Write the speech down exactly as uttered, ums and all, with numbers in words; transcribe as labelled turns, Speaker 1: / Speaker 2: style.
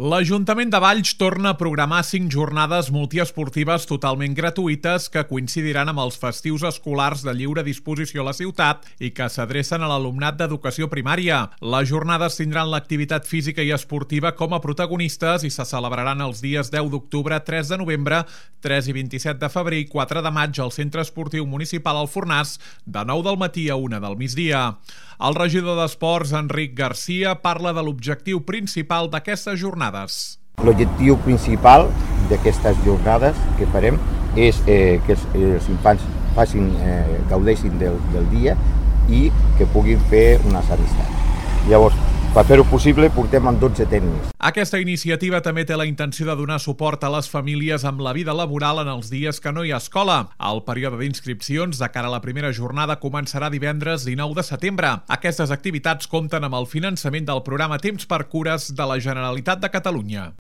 Speaker 1: L'Ajuntament de Valls torna a programar cinc jornades multiesportives totalment gratuïtes que coincidiran amb els festius escolars de lliure disposició a la ciutat i que s'adrecen a l'alumnat d'educació primària. Les jornades tindran l'activitat física i esportiva com a protagonistes i se celebraran els dies deu d'octubre, tres de novembre, tres i vint-i-set de febrer i quatre de maig al Centre Esportiu Municipal Alfornàs, de nou del matí a una del migdia. El regidor d'Esports, Enric Garcia, parla de l'objectiu principal d'aquestes jornades.
Speaker 2: L'objectiu principal d'aquestes jornades que farem és eh, que els, els infants facin, eh, gaudeixin del, del dia i que puguin fer unes amistats. Llavors, per fer-ho possible, portem amb dotze tècnics.
Speaker 1: Aquesta iniciativa també té la intenció de donar suport a les famílies amb la vida laboral en els dies que no hi ha escola. El període d'inscripcions de cara a la primera jornada començarà divendres dinou de setembre. Aquestes activitats compten amb el finançament del programa Temps per Cures de la Generalitat de Catalunya.